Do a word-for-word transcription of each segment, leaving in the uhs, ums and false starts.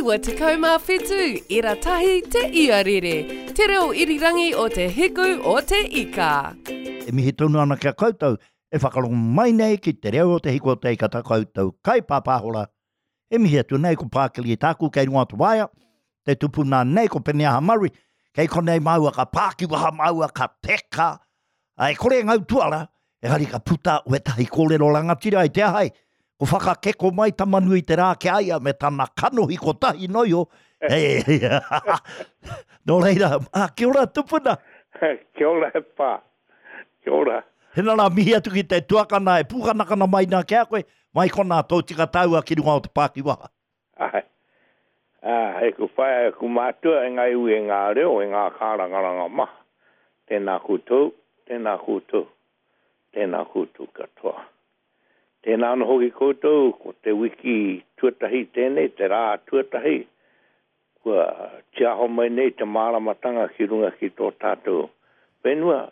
Iwa tekau mā whitu, ira tahi te iarere, te reo irirangi o te hiku o te ika. E mihi tonu ana ki a koutou, e whakarongo mai nei ki te reo o te hiku o te ika tā koutou kai pāpāhora. E mihi atu nei ko Pākiri e tāku kei runga o te waea, te tupuna nei ko Peneaha Murray, kei konei māua ka pākiwaha māua ka teka, a e kore e ngau tuara, engari ka puta wetahi kōrero rangatira i te ahai, ko whakakeko mai Tamanui te rā ki a ia me tana kanohi kotahi noio. Hey, nō reira, ah, kia ora tupuna. Kia ora e pā, kia ora. Hena rā mihi atu ki te tuakana e pūkanakana mai nā ki a koe, mai kona tō tika taua ki runga o te pākiwaha. Ai, ah, e ku whaea, e ku mātua, e ngā iwi, e ngā reo, e ngā kārangaranga maha. Tēnā koutou, tēnā koutou, tēnā koutou katoa. Tēnā anō hoki koutou, ko te wiki tuatahi tēnei, te rā tuatahi, kua tiaho mai nei te māramatanga ki runga ki tō tātou whenua,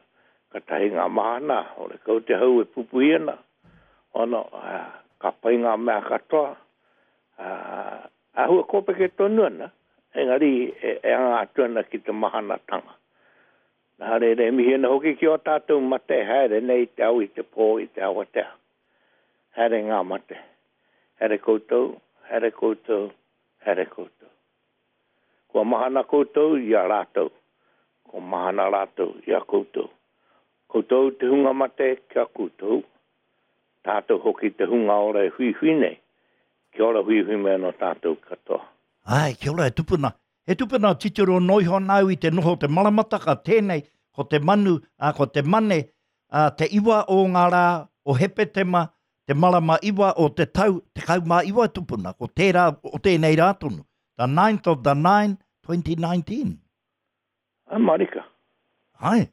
ka tahi ngā mahana, ore kau te hau e pupuhi ana, ono, ah, ka pai ngā mea katoa, ah, āhua kōpeke tonu ana, engari e, e anga atu ana ki te mahanatanga. Nā reira, e mihi ana hoki ki o tātou mate, haere nei te au i te pō i te awatea. Haere ngā mate. Haere koutou, haere koutou, haere koutou. Kua mahana koutou i a rātou. Ko mahana rātou i a koutou. Koutou te hunga mate kia koutou. Tātou hoki te hunga ora e huihui nei. Kia ora huihui mai anō tātou katoa. Ai, kia ora e tupuna. He tupuna titiro noiho nāu i te noho o te maramataka tēnei, ko te manu, ā, ko te mane, ā, te iwa o ngā rā o Hepetema, te marama iwa o te tau, tekau mā iwa tupuna, ko tērā o tēnei rā tonu. The ninth of the nine, twenty nineteen. Ai, marika. Ai.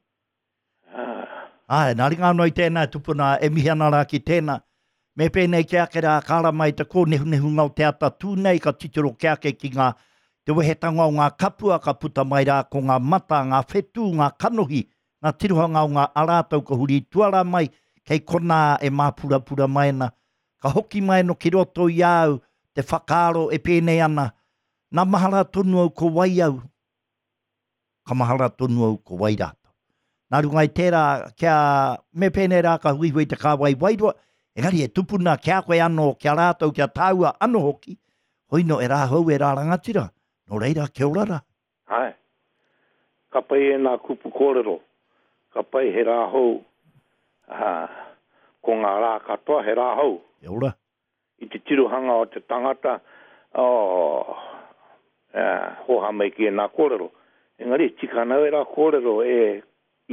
Ah. Ai, nā ringa anō i tēnā tupuna, e mihi ana rā ki tēnā. Me pēnei ki ake rā, ka ara mai te kōnehunehunga o te ata tū nei, ka titiro ki ake ki ngā, te wehetanga o ngā kapua, ka puta mai rā ko ngā mata, ngā whetū, ngā kanohi, ngā tirohanga o ngā arātau ka huri tuara mai, kei konā e māpurapura mai ana. Ka hoki mai no ki roto i au, te whakaaro e pēnei ana, nā mahara tonu au ko wai au, ka mahara tonu au ko wai rātou. Nā runga i tērā, kia me pēnei rā ka huihui te kāwai wairua, engari e tupuna kia koe anō, kia rātou, kia tāua anō hoki, hoino e rā hou e rā rangatira, nō reira, kia ora rā. Ai, ka pai e nā kupu kōrero, ka pai he rā hou, ah, ko ngā rā katoa he rā hou. Kia ora. I te tirohanga o te tangata, oh, eh, hoha mai ki e nā kōrero. Engari, tika ana e rā kōrero e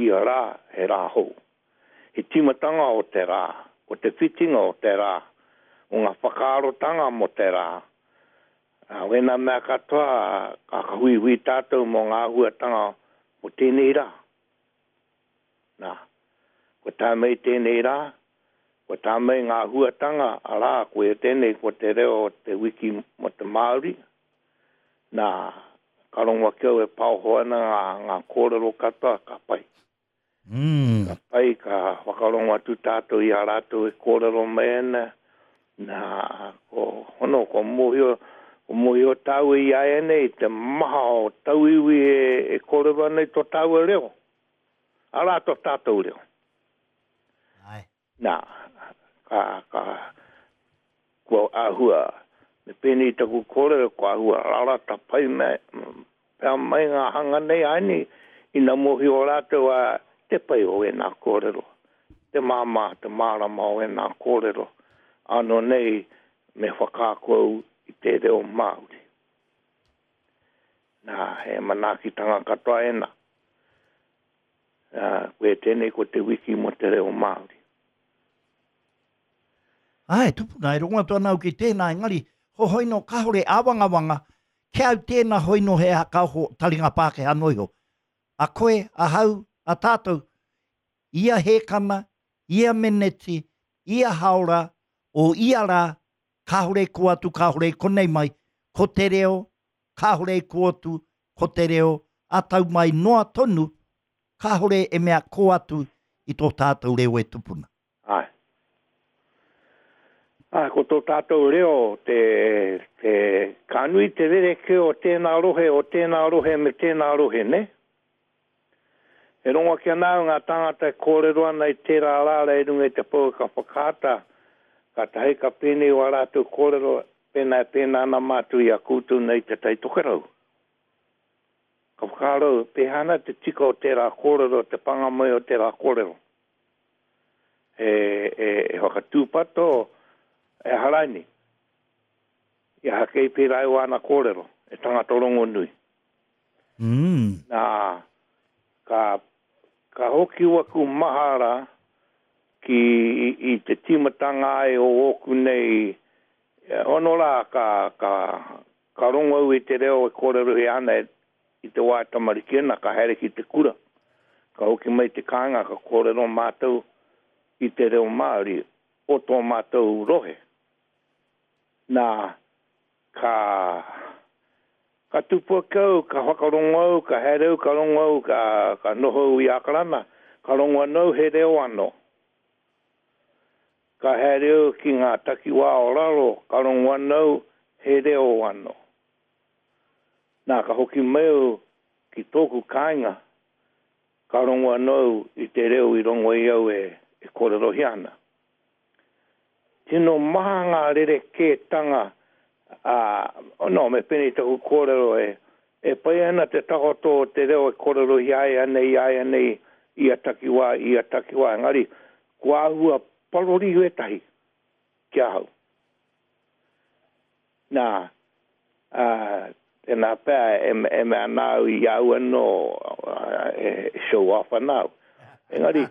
ia rā he rā hou. He tīmatanga o te rā, o te whitinga o te rā, o ngā whakaarotanga mō te rā. Ah, wēnā mea katoa, ka huihui tātou mō ngā huatanga o tēnei rā. Nā, ko tā mai tēnei rā, ko tā mai ngā huatanga, arā, ko e tēnei ko te reo o te wiki mō te Māori. Nā, ka rongo ake au e paoho ana ngā, ngā kōrero katoa, ka pai. Mm. Ka pai, ka whakarongo atu tātou i a rātou e kōrero mai ana. Nā, ko hono, ko mōhio, ko mōhio tāua i a e nei, te maha o tauiwi e, e kōrero ana i tō tāua reo. Arā tō tātou reo. Ai. Nā, ka, ka, kua āhua, me pēnei taku kōrero, kua āhua rarata pai me, pea mai ngā hanga nei aini, ina mōhio rātou a te pai o ēnā kōrero, te māmā, te mārama o ēnā kōrero, anō nei me whakaako au i te reo Māori. Nā, he manaakitanga katoa ēnā. Nā, koe tēnei ko te wiki mō te reo Māori. Ai, tupuna, e rongo atu ana au ki tēnā, engari, hohoino kāore āwangawanga, kia au tēnā hoino he haka oho taringa Pākehā noiho. A koe, a hau, a tātou, ia hēkana, ia meneti, ia haora, o ia rā, kāore ko atu, kāore konei mai, ko te reo, kāore ko atu, ko te reo, a tau mai noa tonu, kāore e mea ko atu i tō tātou reo e tupuna. Ai. Ā, ko tō tātou reo te, te, ka nui te rerekē o tēnā rohe, o tēnā rohe me tēnā rohe, nē? E rongo ake ana au ngā tāngata e kōrero ana i tērā rāra i runga i te pouaka whakaata, kātahi ka pēnei wā rātou kōrero, pēnā e pēnā ana mātou i a koutou nei te Tai Tokerau. Ka whakaaro au, pēhea ana te tika o tērā kōrero, te pānga mai o tērā kōrero. E, e, e whakatūpato, e aha raini. I aha kei pērā i wāna kōrero, e tangata rongonui. Mm. Nā, ka, ka hoki waku mahara ki i, i te tīmatanga ai o ōku nei, ono rā, ka, ka, ka rongo au i te reo e kōrerohia ana i te wā e tamariki ana, ka haere ki te kura. Ka hoki mai te kāinga, ka kōrero mātou i te reo Māori o tō mātou rohe. Nā, ka, ka tupu ake au, ka whakarongo au, ka haere au, ka rongo au, ka, ka noho au i Ākarana, ka rongo anō au he reo anō. Ka haere au ki ngā takiwā o raro, ka rongo anō au he reo anō. Nā, ka hoki mai au ki tōku kāinga, ka rongo anō au i te reo i rongo ai au e, e kōrerohia ana. Tino maha ngā rerekētanga, ā, no, me pēnei taku kōrero e, e pai ana te takoto o te reo e kōrerohia ai anei, āianei, ia takiwā, ia takiwā, engari, kua āhua parori wētahi ki ahau. Nā, ā, tēnā pea e, e mea ana au i a au anō, e show off ana au. Engari,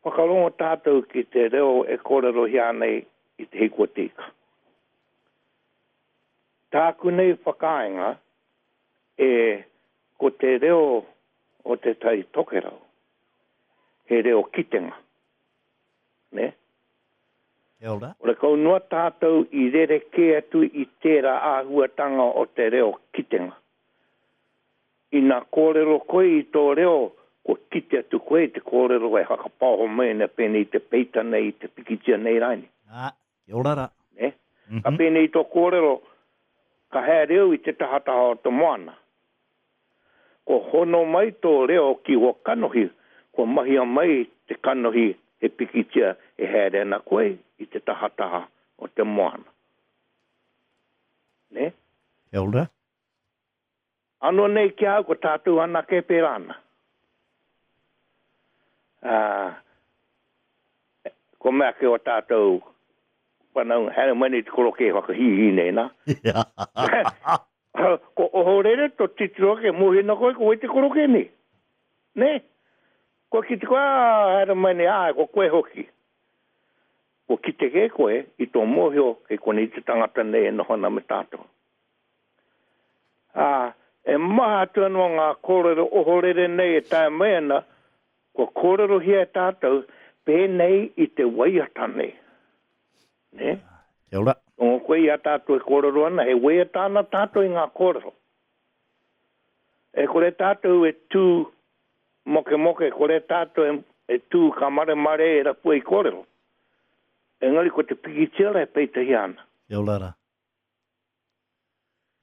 whakarongo tātou ki te reo e kōrerohia ana i Te Hiku o Te Ika. Tāku nei whakaaenga e ko te reo o Te Tai Tokerau, he reo kitenga. Nē? Kia ora. Horekau noa tātou i rerekē atu i tērā āhuatanga o te reo kitenga. Ina kōrero koe i tō reo, kua kite atu koe i te kōrero e whakapaoho mai ana pēnei i te peita nei, i te pikitia nei rānei. Ā, kia ora rā. Nē? Ka pēnei i tō kōrero, ka haere au i te tahataha o te moana. Kua hono mai tō reo ki ō kanohi, kua mahia mai te kanohi he pikitia e haere ana koe i te tahataha o te moana. Nē? Kia ora. Anō nei ki a au, ko tātou anake e pērā ana. Ā, ko mea ake o tātou whanaunga, haere mai nei te korokē whakahīhī nei, nā. Ko ohorere to titiro ake, mōhio ana koe ko wai te korokē nei. Nē? Kua kite koe, ā, haere mai nei, āe, ko koe hoki. Kua kite kē koe i tō mōhio kei konei te tangata nei e noho ana me tātou. Ā, e maha atu anō ngā kōrero ohorere nei e taea mai ana, kua kōrerohia e tātou pēnei i te waiata nei. Nē? Kia ora. Rongo koe i a tātou e kōrero ana, he waiata ana tātou i ngā kōrero. E kore tātou e tū mokemoke, kore tātou e, e tū ka maremare e rapua i kōrero. Engari ko te pikitia la e peitahia ana. Kia ora rā.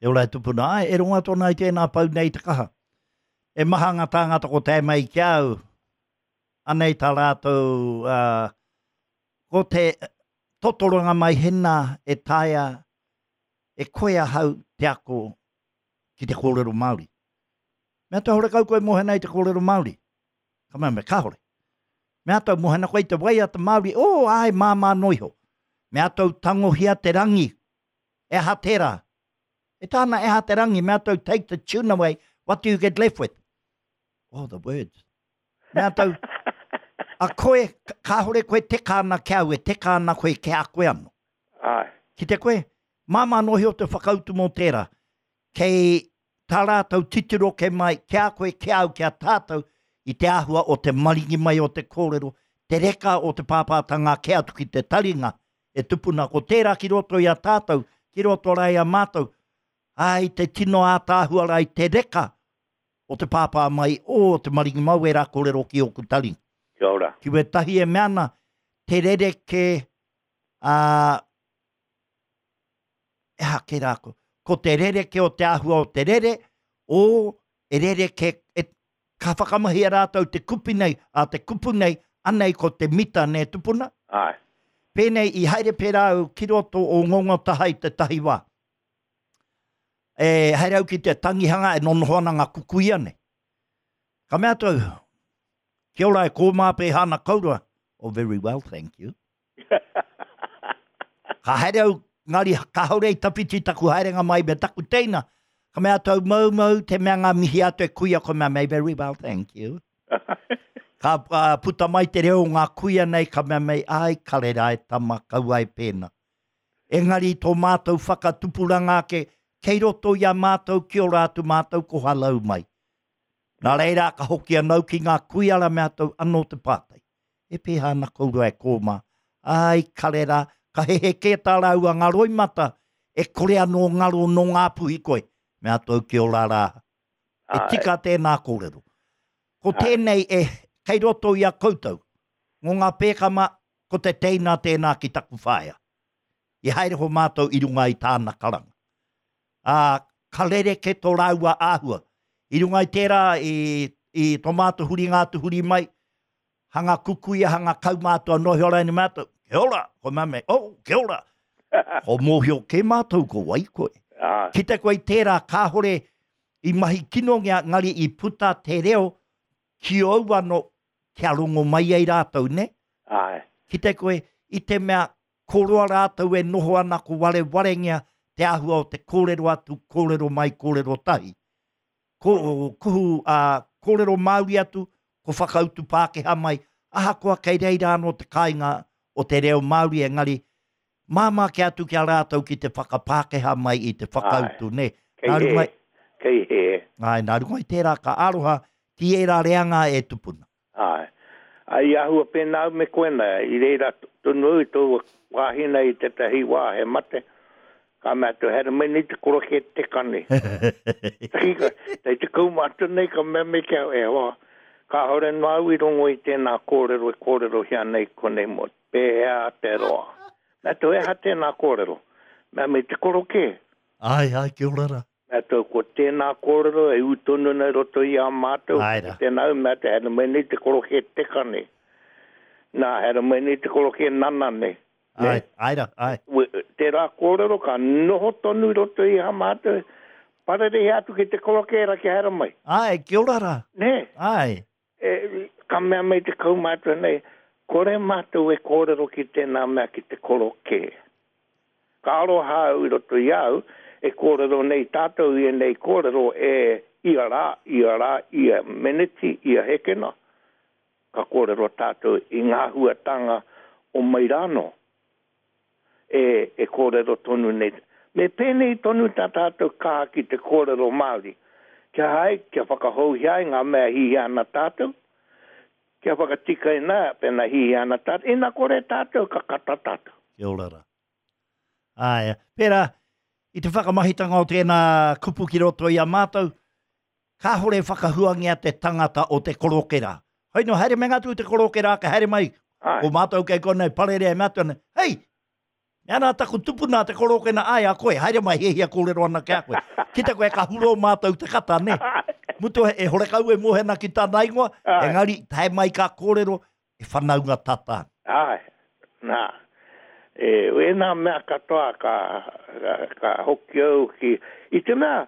Kia ora e tupuna. Āe, e rongo atu ana i tēnā pau nei te kaha. E maha ngā tāngata ko tae mai ki a au, anei tā rātou, ā, ko te totoronga mai hena e taea e koe ahau te ako ki te kōrero Māori. Mea tau horekau koe mō hena i te kōrero Māori? Ka mea me, kāore. Mea tau mō hena koe i te waiata Māori, oh, āe, māmā noa iho. Mea tau tangohia te rangi, e aha tērā? E tāna, e aha te rangi, mea tau take the tune away, what do you get left with? Oh, the words. Mea tau, a koe, kāore koe teka ana ki a au, e teka ana koe ki a koe anō. Āe. Ki te koe, māmā noa iho te whakautu mō tērā. Kei tā rātou titiro kei mai, ki a koe, ki a au, ki a tātou, i te āhua o te maringi mai o te kōrero, te reka o te pāpātanga ake atu ki te taringa e tupuna. Ko tērā ki roto i a tātou, ki roto rā i a mātou, ā, i te tino ātaahua rā i te reka o te pāpā mai o te maringi mau ērā kōrero ki ōku taringa. Kia ora. Ki wētahi e mea ana, te rerekē, ā, E aha ke rā ko. Ko te rereke o te āhua o te rere, o e rereke, e, ka whakamahia rātou te kupi nei, a te kupu nei, anei ko te mita nē tupuna. Āe. Pēnei i haere pērā au ki roto o Ngongotaha i te tahi wā. E haere au ki te tangihanga e nonoho ana ngā kukuia nei. Ka mea atu au, kia ora e kōmā pēhā ana kourua. Oh, very well, thank you. Ka haere au, ngari kāore i tawhiti taku haerenga mai me taku teina. Ka mea atu au, mau mau, te mea ngā mihi atu e kuia, ko mea mei, very well, thank you. Ka uh, puta mai te reo o ngā kuia nei, ka mea mei, ai, kare rā e tama, kaua e pēnā. Engari tō mātou whakatupuranga ake, kei roto i a mātou, ki ora atu mātou, ko halau mai. Nā reira, ka hoki anau ki ngā kuia ra mea atu anō te pātai. E pēhā ana kourua e kōmā. Ai, kare rā, ka hehe kē tā rāua ngā roimata, e kore anō ngaro nō Ngāpuhi koe. Mea atu au ki ora rā. E tika tēnā kōrero. Ko tēnei e, kei roto i a koutou, ngō ngā pēkama, ko te teina tēnā ki taku whaea. I haere ho mātou i runga i tāna karanga. Ā, ka rereke tō rāua āhua. I runga i tērā, i, i tō mātou huringa atu huri mai, hanga kukuia, hanga kaumātua noa he ora ene mātou, kia ora, ko mea mei, oh, kia ora. Ko mōhio kē mātou ko wai koe. Ah. Kite koe i tērā kāhore i mahi kinongia, ngari i puta te reo ki ou ano kia rongo mai ai rātou, ne? Āe. Kite koe i te mea koroa rātou e noho ana ko warewarengia te āhua o te kōrero atu, kōrero mai, kōrero tahi. Ko, kuhu, uh, kōrero Māori atu, ko whakautu Pākehā mai, ahakoa kei reira anō te kāinga o te reo Māori engari, māmā ke atu ki a rātou ki te whakapākehā mai i te whakautu, ne? Kei Nā runga, hē, kei hē. Āe, nā runga i tērā ka aroha ki ērā reanga e tupuna. Āe. Ai āhua pēnā au me koe nā, i reira tonu au i tō wāhi nei i tētahi wā he mate, ka mea atu, haere mai nei te koroke teka nei. Takika, tei te kaumātua nei ka mea mai ki au, e hoa, kāore noa au i rongo i tēnā kōrero e kōrerohia nei konei mō pēhea te roa. Mea atu, e aha tēnā kōrero? Mea mai te koroke. Ai, ai, kia ora rā. Mea atu, ko tēnā kōrero e ū tonu nei roto i a mātou. Ai rā. Ko tēnā au, mea atu, haere mai nei te koroke teka nei. Nā, haere mai nei te koroke nana nei. Ai, ai rā, ai. Tērā kōrero ka noho tonu i roto i a mātou, pararehe atu ki te koroke era ki haere mai. Ai, kia ora rā. Nē. Ai. E, ka mea mai te kaumātua nei, kore mātou e kōrero ki tēnā mea ki te koroke. Ka aroha au i roto i au, e kōrero nei tātou i ēnei kōrero e ia rā, ia rā, ia meneti, ia hekena. Ka kōrero tātou i ngā huatanga o mai rānō. E, e kōrero tonu nei. Me pēnei tonu tā tātou kaha ki te kōrero Māori. Kia hae, kia whakahouhia ai ngā mea hihia ana tātou, kia whakatikaina, pēnā hihia ana tātou, ina kore tātou, ka kata tātou. Kia ora rā. Āe, pērā, i te whakamahitanga o tēnā kupu ki roto i a mātou, kāhore whakahuangia te tangata o te koroke rā. Hoi no, haere me ngā tū te koroke rā, ka haere mai, Āe. ko mātou kei konei parere e mātou nei, hei, mea nā taku tupuna te koroke na, ai a koe, haere mai hiahia kōrero ana ki a koe. Ki te koe ka huro mātou te kata, ne? Mutu e horekau e mohena ki tāna ingoa, Āe. engari tae mai ka kōrero, e whanaunga tata. Āe, nā. E, wēnā mea katoa ka, ka, ka hoki au ki... I te mea,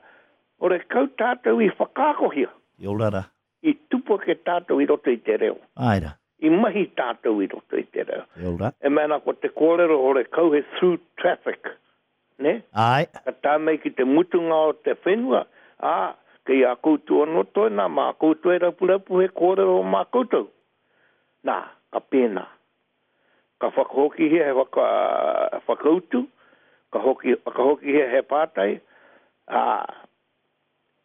horekau tātou i whakaakohia. Kia ora rā. I tupu ake tātou i roto i te reo. Āe rā. I mahi tātou i roto i te reo. Kia ora. E mea nā ko te kōrero horekau he through traffic. Ne? Āe. Ka tā mai ki te mutunga o te whenua, ā, kei a koutou anō tōna, mā koutou e rapurapu he kōrero mā koutou. Nā, ka pēnā. Ka whakahokihia he whaka, whakautu, ka hoki, whakahokihia he pātai, ā,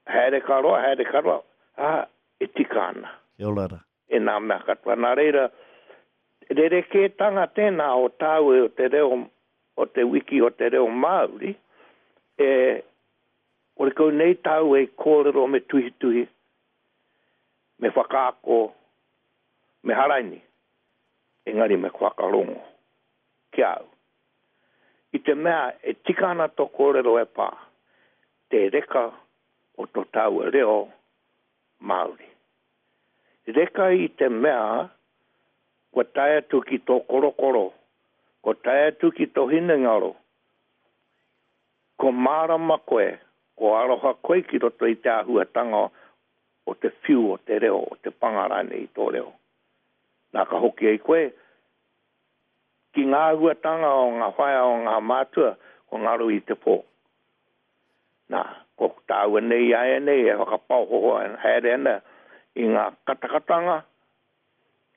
haere ka roa, haere ka roa, ā, e tika ana. Kia ora rā. E nā mea katoa. Nā reira, rerekētanga tēnā o tāu e o te reo, o te wiki o te reo Māori, e, horekau nei tāu e kōrero me tuhituhi, me whakaako, me haraini, engari me whakarongo ki au. I te mea e tika ana tō kōrero e pā, te reka o tō tāua reo Māori. Reka i te mea kua tae atu ki tō korokoro, kua tae atu ki tō hinengaro, ko mārama koe, ko aroha koe ki roto i te āhuatanga o te whiu o te reo, o te panga rānei i tō reo. Nā ka hoki ai koe ki ngā āhuatanga o ngā whaea o ngā mātua, ko ngaro i te pō. Nā, ko tāua nei āianei e whakapaoho haere ana i ngā katakatanga,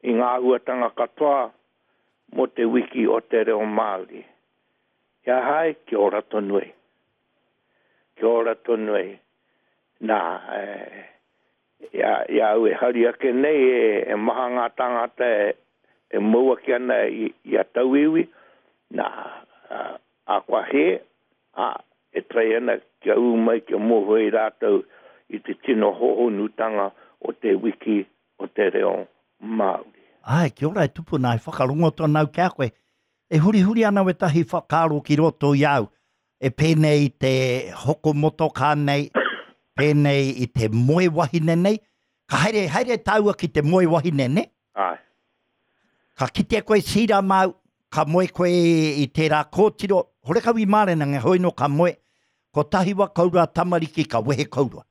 i ngā āhuatanga katoa mō te wiki o te reo Māori. Kia hae, kia ora tonu ai. Kia ora tonu ai. Nā, e, i a, i a au e hari ake nei e, e maha ngā tāngata e, e mau ake ana i, i a tauiwi, nā, a, a kua hē, a, e trai ana kia ū mai, kia mōhio ai rātou i te tino hōhonutanga o te wiki o te reo Māori. Āe, kia ora e tupuna, e whakarongo tonu au ki a koe. E hurihuri ana wētahi whakaaro ki roto i au, e pēnei i te hoko motokā nei, pēnei i te moe wahine nei. Ka haere, haere tāua ki te moe wahine, ne? Āe. Ka kitea koe Sira māu, ka moe koe i tērā kōtiro, horekau i mārena, nge hoi no ka moe, kotahi wa kourua tamariki ka wehe kourua.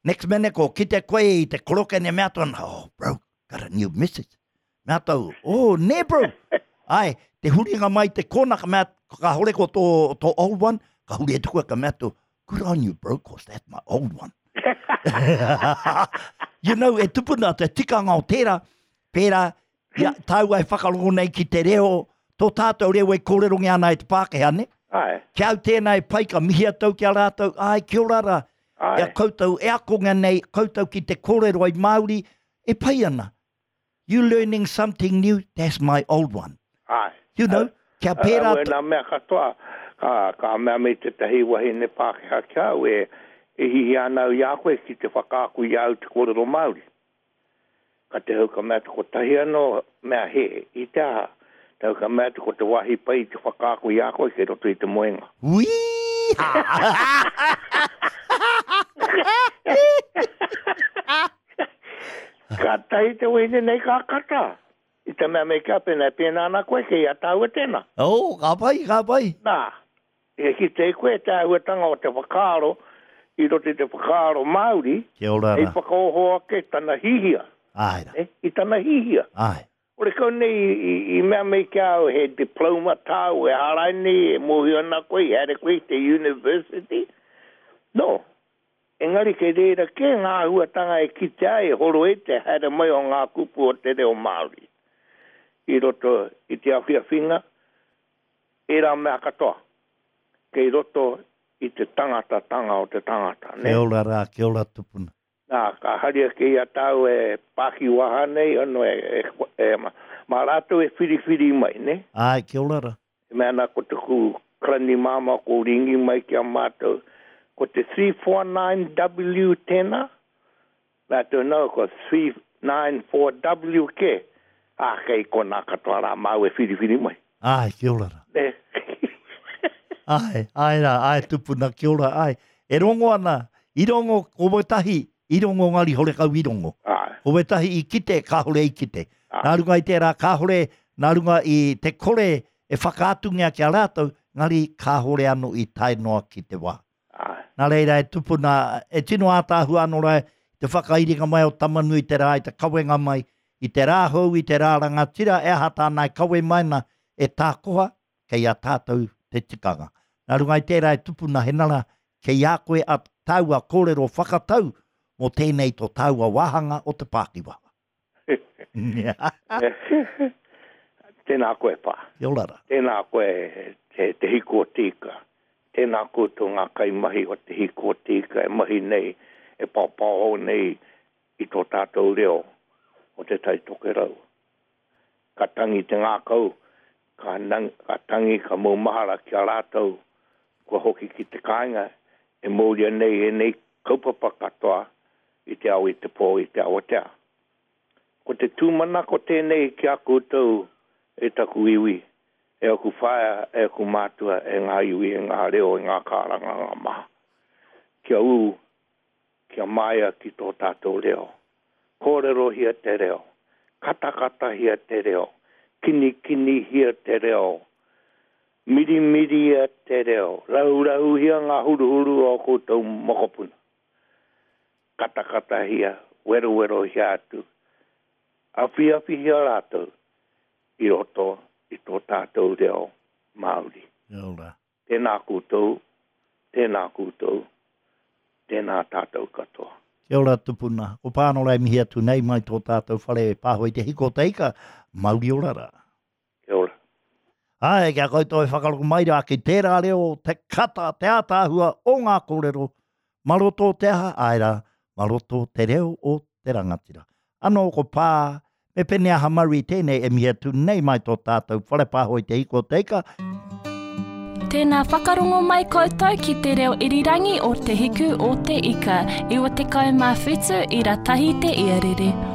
Next minute ko kite koe i te koroke ne mea tōna, oh bro, got a new missus. Mea tau, oh ne bro. Ai, te huringa mai te kona, ka mea, ka hore ko tō, tō old one, ka huri atu koe, ka mea tō, good on you bro, cause that's my old one. You know, e tupuna te tikanga o tērā, pērā, ia, tāua e whakarongo nei ki te reo, tō tātou reo e kōrerongia ana e te Pākehā, ne? Ai. Ki au tēnā e pai, ka mihi atu ki a rātou, ai, kia ora rā. Ai. Ia koutou e akonga nei, koutou ki te kōrero ai Māori, e pai ana. You learning something new, that's my old one. Ai. You know, kia pērā Au e nā mea katoa, ka, ka mea me tētahi wahine Pākehā ki au, e, e hihi ana au i a koe ki te whakaako i au te kōrero Māori. Ka te hau ka mea te kotahi anō mea he, i te aha. Te hau ka mea te ko te wāhi pai i te whakaako i a koe kei roto i te moenga. Ui! Ka tahi te wahine nei ka kata. I te mea me kia pēnā, pēnā ana koe kei a tāua tēnā. Oh, ka pai, ka pai. Nā, e ki te koe te āhuatanga o te whakaaro, i roto i te whakaaro Māori, Kia ora hei rā. whakaoho ake tana hihia. Ai rā. Eh, i tana hihia. Ai. Ore kau nei i, i, i mea mei kia au he diploma tāu e harai nei, e mōhio ana koe, i haere koe i te university. No. Engari kei reira ke ngā āhuatanga e kitea ai, e horo e te haere mai o ngā kupu o te reo Māori. I roto i te awhiawhinga, e rā mea katoa. Kei roto i te tangatatanga o te tangata. Ne? Kia ora rā, kia ora tupuna. Nā, ka hari ake i a tāu e pākiwaha nei, ono e, e, e, ma, mā rātou e whiriwhiri mai, ne? Ai, kia ora rā. E mea ana ko taku karani māmā ko ringi mai ki a mātou, ko te three four nine W tēnā, rātou nau ko three nine four W ke, ā, kei konā katoa rā māu e whiriwhiri mai. Ai, kia ora rā. Ne? Ai, ai rā, ai tupuna, kia ora, ai. E rongo ana, i rongo ko wetahi, i rongo ngari horekau i rongo. Ai. Ko wetahi i kite, kāhore i kite. Ai. Nā runga i tērā, kāhore, nā runga i te kore e whakaatungia ki a rātou, ngari kāhore anō i tae noa ki te wā. Ai. Nā reira e tupuna, e tino ātaahua anō rā, te whakairinga mai o Tamanui te rā, i te kawenga mai, i te rā hou, i te rā rangatira, e aha tāna e kawe mai na, e tākoha, kei a tātou te tikanga. Nā runga i tērā e tupuna he nara, kei a koe a tāua kōrero whakatau mō tēnei tō tāua wāhanga o te pākiwaha. Tēnā koe pā. Kia ora rā. Tēnā koe te, te hiku o te ika. Tēnā koutou ngā kaimahi o te hiku o te ika e mahi nei, e pāpāho nei i tō tātou reo o te Tai Tokerau. Ka tangi te ngākau, ka, nang, ka tangi, ka maumahara ki a rātou, kua hoki ki te kāinga, e mauria nei e nei kaupapa katoa i te ao i te pō i te awatea. Ko te tūmanako tēnei ki a koutou e taku iwi, E aku whaea, e aku mātua, e ngā iwi, e ngā reo, e ngā kārangaranga maha. Kia ū, kia māia ki tō tātou reo. Kōrerohia te reo, katakatahia te reo, kinikinihia te reo, mirimiria te reo, rahurahuhia ngā huruhuru o koutou mokopuna. Katakatahia, werowerohia atu, awhiawhihia rātou i roto i tō tātou reo Māori. Kia ora. Tēnā koutou, tēnā koutou, tēnā tātou katoa. Kia ora tupuna. Ko Pānora e mihi atu nei mai tō tātou whare pāho i te hiko o te ika, mauri ora rā. Kia ora. Āe, kia koutou e whakarongo mai rā ki tērā reo, te kata, te ātaahua o ngā kōrero, mā roto o te aha, āe rā, mā roto o te reo o te rangatira. Anō ko Pā, me Peneaha Murray tēnei e mihi atu nei mai tō tātou whare pāho i te hiko o te ika. Tēnā whakarongo mai koutou ki te reo irirangi o Te Hiku o Te Ika, iwa tekau mā whitu ira tahi te iarere.